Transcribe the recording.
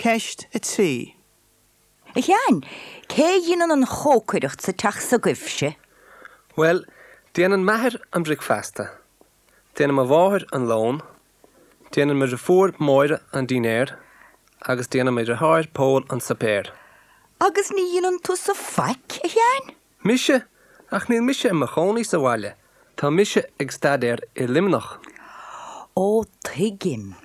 Ceist 3. A Sheáin, cé a dhéanann an chócaireacht sa teach s'agaibhse? Bhuel, déanann m'athair an bricfeasta, déanann mo mháthair an lón, déanann mo dhriofúr Máire an dinnéar agus déanann mo dhriotháir Pól an suipéar. Agus ní dhéanann tusa faic, a Sheáin? Mise? Ach níl mise i mo chónaí sa bhaile, tá mise ag staidéar i Luimneach. Ó, tuigim.